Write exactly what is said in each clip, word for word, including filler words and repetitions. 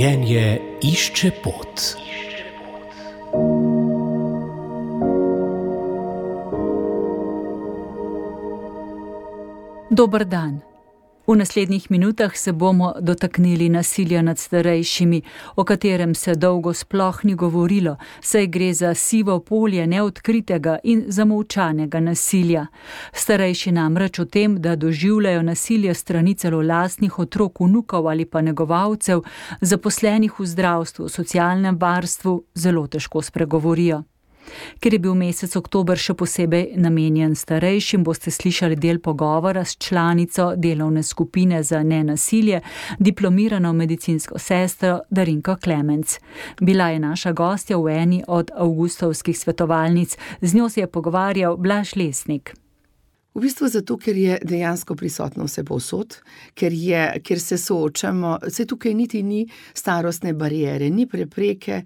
Življenje išče pot. Dober dan. V naslednjih minutah se bomo dotaknili nasilja nad starejšimi, o katerem se dolgo sploh ni govorilo, saj gre za sivo polje neodkritega in zamolčanega nasilja. Starejši namreč o tem, da doživljajo nasilje strani celo lastnih otrok, vnukov ali pa negovalcev, zaposlenih v zdravstvu, socialnem varstvu, zelo težko spregovorijo. Ker je bil mesec oktober še posebej namenjen starejšim, boste slišali del pogovora s članico delovne skupine za nenasilje, diplomirano medicinsko sestro Darinko Klemenc. Bila je naša gostja v eni od avgustovskih svetovalnic, z njo se je pogovarjal Blaž Lesnik. V bistvu zato, ker je dejansko prisotno vse povsod, ker, je, ker se soočamo, vse tukaj niti ni starostne bariere, ni prepreke,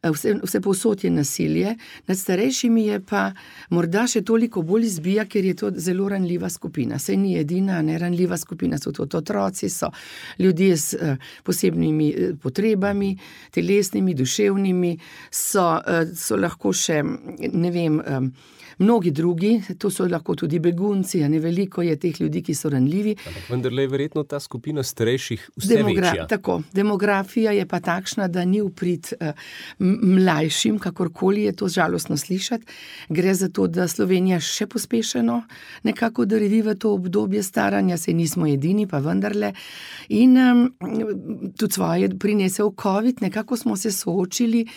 vse, vse povsod je nasilje, nad starejšimi je pa morda še toliko bolj izbija, ker je to zelo ranljiva skupina. Saj ni edina, ne ranljiva skupina, so to otroci, so ljudje s posebnimi potrebami, telesnimi, duševnimi, so, so lahko še, ne vem, mnogi drugi, to so lahko tudi begunci, a ne veliko je teh ljudi, ki so ranljivi. Ampak vendarle je verjetno ta skupina starejših vse Demogra- večja. Tako, demografija je pa takšna, da ni v prid uh, mlajšim, kakorkoli je to žalostno slišati. Gre za to, da Slovenija še pospešeno nekako drvi v to obdobje staranja, saj nismo edini, pa vendarle. In um, tudi svoje prinesel COVID, nekako smo se soočili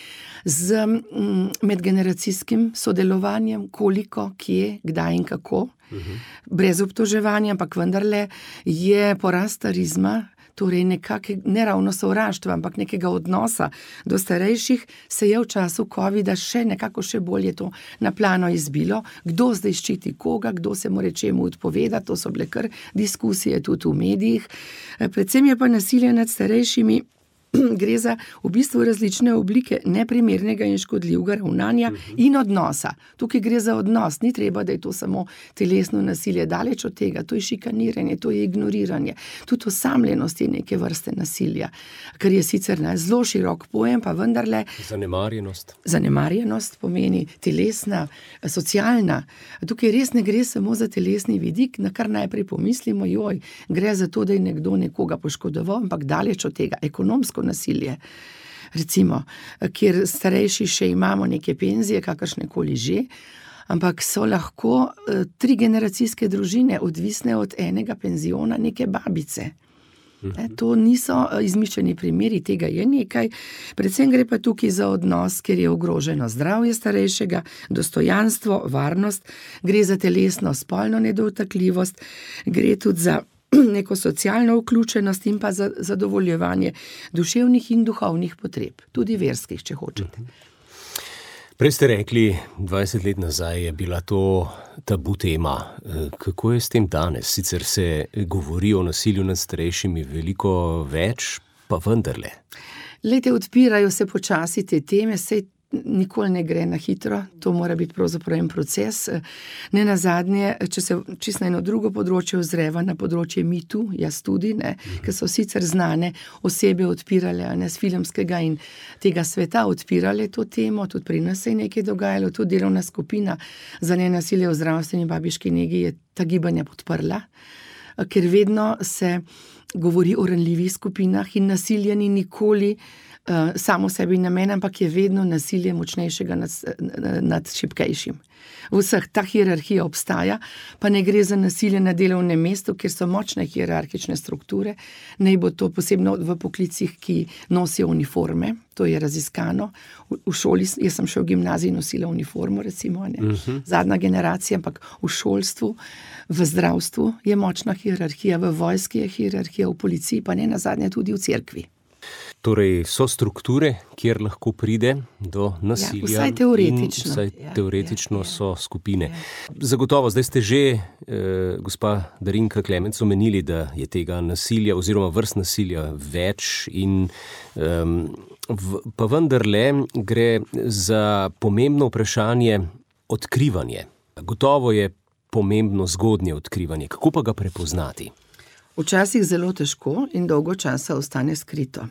z um, medgeneracijskim sodelovanjem, koliko, kje, kdaj in kako, uh-huh. brez obtoževanja, ampak vendarle je porast starizma, torej nekake, ne ravno sovraštva, ampak nekega odnosa do starejših, se je v času covida še nekako še bolje to na plano izbilo, kdo zdaj ščiti koga, kdo se more čemu odpovedati, to so bile kar diskusije tudi v medijih. Predvsem je pa nasilje nad starejšimi, gre za v bistvu različne oblike neprimernega in škodljivega ravnanja in odnosa. Tukaj gre za odnos, ni treba, da je to samo telesno nasilje, daleč od tega, to je šikaniranje, to je ignoriranje, tudi osamljenost je neke vrste nasilja, kar je sicer ne, zelo širok pojem, pa vendarle... Zanemarjenost. Zanemarjenost pomeni telesna, socialna. Tukaj res ne gre samo za telesni vidik, na kar najprej pomislimo, joj, gre za to, da je nekdo nekoga poškodoval, ampak daleč od tega, ekonomsko nasilje, recimo, kjer starejši še imamo neke penzije, kakršnekoli že, ampak so lahko uh, tri generacijske družine odvisne od enega penziona neke babice. E, to niso izmišljeni primeri, tega je nekaj. Predvsem gre pa tukaj za odnos, ker je ogroženo zdravje starejšega, dostojanstvo, varnost, gre za telesno spolno nedotakljivost, gre tudi za neko socialno vključenost in pa za zadovoljevanje duševnih in duhovnih potreb, tudi verskih, če hočete. Prej ste rekli, dvajset let nazaj je bila to tabu tema. Kako je s tem danes? Sicer se govori o nasilju nad starejšimi veliko več, pa vendarle. Lejte, odpirajo se počasi te teme, sej nikoli ne gre na hitro, to mora biti pravzaprav en proces. Ne nazadnje, če se čisto na eno drugo področje ozreva, na področje Me Too, jaz tudi, ne, ker so sicer znane osebe odpirale, ne, z filmskega in tega sveta odpirale to temo, tudi pri nas se je nekaj dogajalo, tudi delovna skupina za nenasilje v zdravstveni babiški negi je ta gibanja podprla, ker vedno se govori o ranljivih skupinah in nasilje ni nikoli Uh, samo sebi namen, ampak je vedno nasilje močnejšega nad, nad šibkejšim. V vseh ta hierarhija obstaja, pa ne gre za nasilje na delovnem mestu, kjer so močne hierarhične strukture, naj bo to posebno v poklicih, ki nosijo uniforme, to je raziskano. V, v šoli, jaz sem še v gimnaziji nosila uniformo, recimo, ne, uh-huh. zadnja generacija, ampak v šolstvu, v zdravstvu je močna hierarhija, v vojski je hierarhija, v policiji, pa ne nazadnje tudi v cerkvi. Torej, so strukture, kjer lahko pride do nasilja. Ja, vsaj teoretično. Vsaj ja, teoretično ja, ja. so skupine. Ja. Zagotovo, zdaj ste že, eh, gospa Darinka Klemenc, omenili, da je tega nasilja oziroma vrst nasilja več in um, v, pa vendarle gre za pomembno vprašanje odkrivanje. Gotovo je pomembno zgodnje odkrivanje. Kako pa ga prepoznati? Včasih zelo težko in dolgo časa ostane skrito.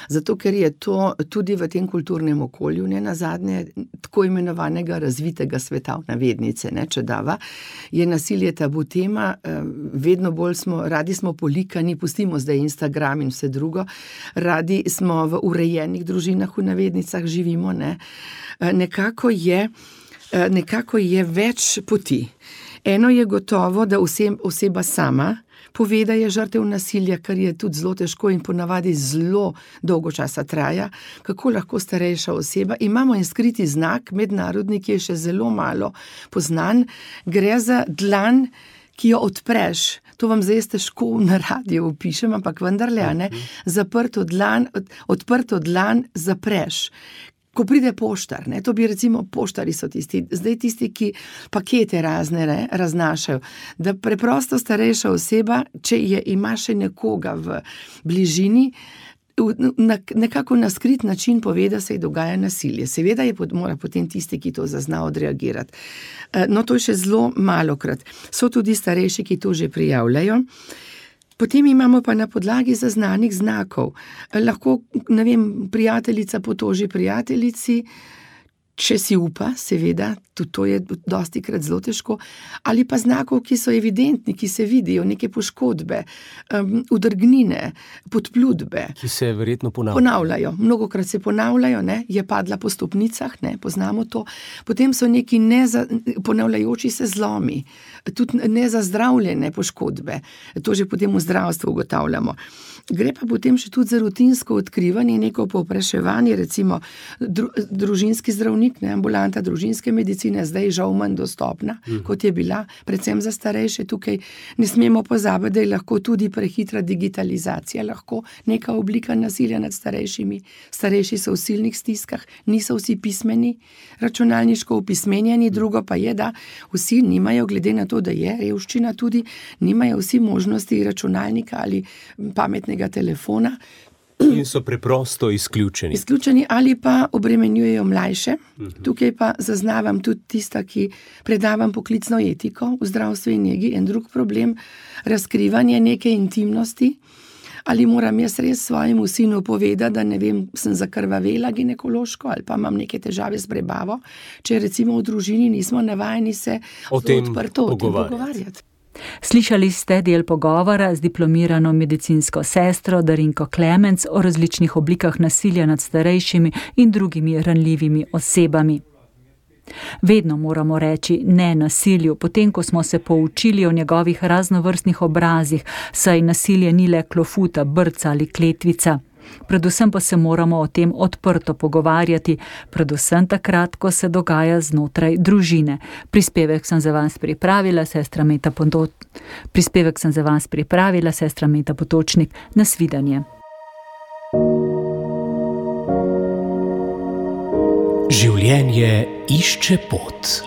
Zato, ker je to tudi v tem kulturnem okolju, ne nazadnje, tako imenovanega razvitega sveta, v navednice, ne, če dava, je nasilje tabu tema, vedno bolj smo, radi smo polikani, pustimo zdaj Instagram in vse drugo, radi smo v urejenih družinah, v navednicah živimo, ne. Nekako je, nekako je več poti. Eno je gotovo, da oseba sama pove, da je žrtev nasilja, kar je tudi zelo težko in ponavadi zelo dolgo časa traja. Kako lahko starejša oseba? Imamo en skriti znak, mednarodni, ki je še zelo malo poznan. Gre za dlan, ki jo odpreš. To vam zdaj težko na radiju opišem, ampak vendarle, ne, zaprto dlan, odprto dlan zapreš. Ko pride poštar, ne, to bi recimo, poštari so tisti, zdaj tisti, ki pakete razne, ne, raznašajo, da preprosto starejša oseba, če je, ima še nekoga v bližini, na, nekako na skrit način pove, da se ji dogaja nasilje. Seveda je mora potem tisti, ki to zazna, odreagirati. No, to je še zelo malokrat. So tudi starejši, ki to že prijavljajo. Potem imamo pa na podlagi zaznanih znakov. Lahko, ne vem, prijateljica potoži prijateljici, če si upa, seveda, tudi to je dostikrat zelo težko, ali pa znakov, ki so evidentni, ki se vidijo, neke poškodbe, um, udrgnine, podplutbe. Ki se verjetno ponavljajo. Ponavljajo, mnogokrat se ponavljajo, ne, je padla po stopnicah, ne, poznamo to. Potem so neki neza, ponavljajoči se zlomi, tudi nezazdravljene poškodbe. To že potem v zdravstvu ugotavljamo. Gre pa potem še tudi za rutinsko odkrivanje, neko povpraševanje, recimo dru, družinski zdravnik, ne, ambulanta družinske medicine, zdaj žal manj dostopna, mm. kot je bila, predvsem za starejše. Tukaj ne smemo pozabiti, da je lahko tudi prehitra digitalizacija, lahko neka oblika nasilja nad starejšimi. Starejši so v silnih stiskah, niso vsi pismeni, računalniško opismenjeni, drugo pa je, da vsi nimajo, glede na to, da je revščina tudi, nimajo vsi možnosti računalnika ali pametnega telefona. In so preprosto izključeni. Izključeni ali pa obremenjujejo mlajše. Tukaj pa zaznavam tudi tista, ki predavam poklicno etiko v zdravstvu in negi, en drug problem, razkrivanje neke intimnosti. Ali moram jaz res svojemu sinu povedati, da ne vem, sem zakrvavela ginekološko ali pa imam neke težave s prebavo, če recimo v družini nismo navajeni se o tem odprto pogovarjati. O tem pogovarjati. Slišali ste del pogovora z diplomirano medicinsko sestro Darinko Klemenc o različnih oblikah nasilja nad starejšimi in drugimi ranljivimi osebami. Vedno moramo reči ne nasilju, potem ko smo se poučili o njegovih raznovrstnih obrazih, saj nasilje ni le klofuta, brca ali kletvica. Predvsem pa se moramo o tem odprto pogovarjati, predvsem takrat, ko se dogaja znotraj družine. Prispevek sem za vas pripravila sestra Meta Potočnik. Prispevek sem za vas pripravila sestra Meta Potočnik. Nasvidenje. Življenje išče pot.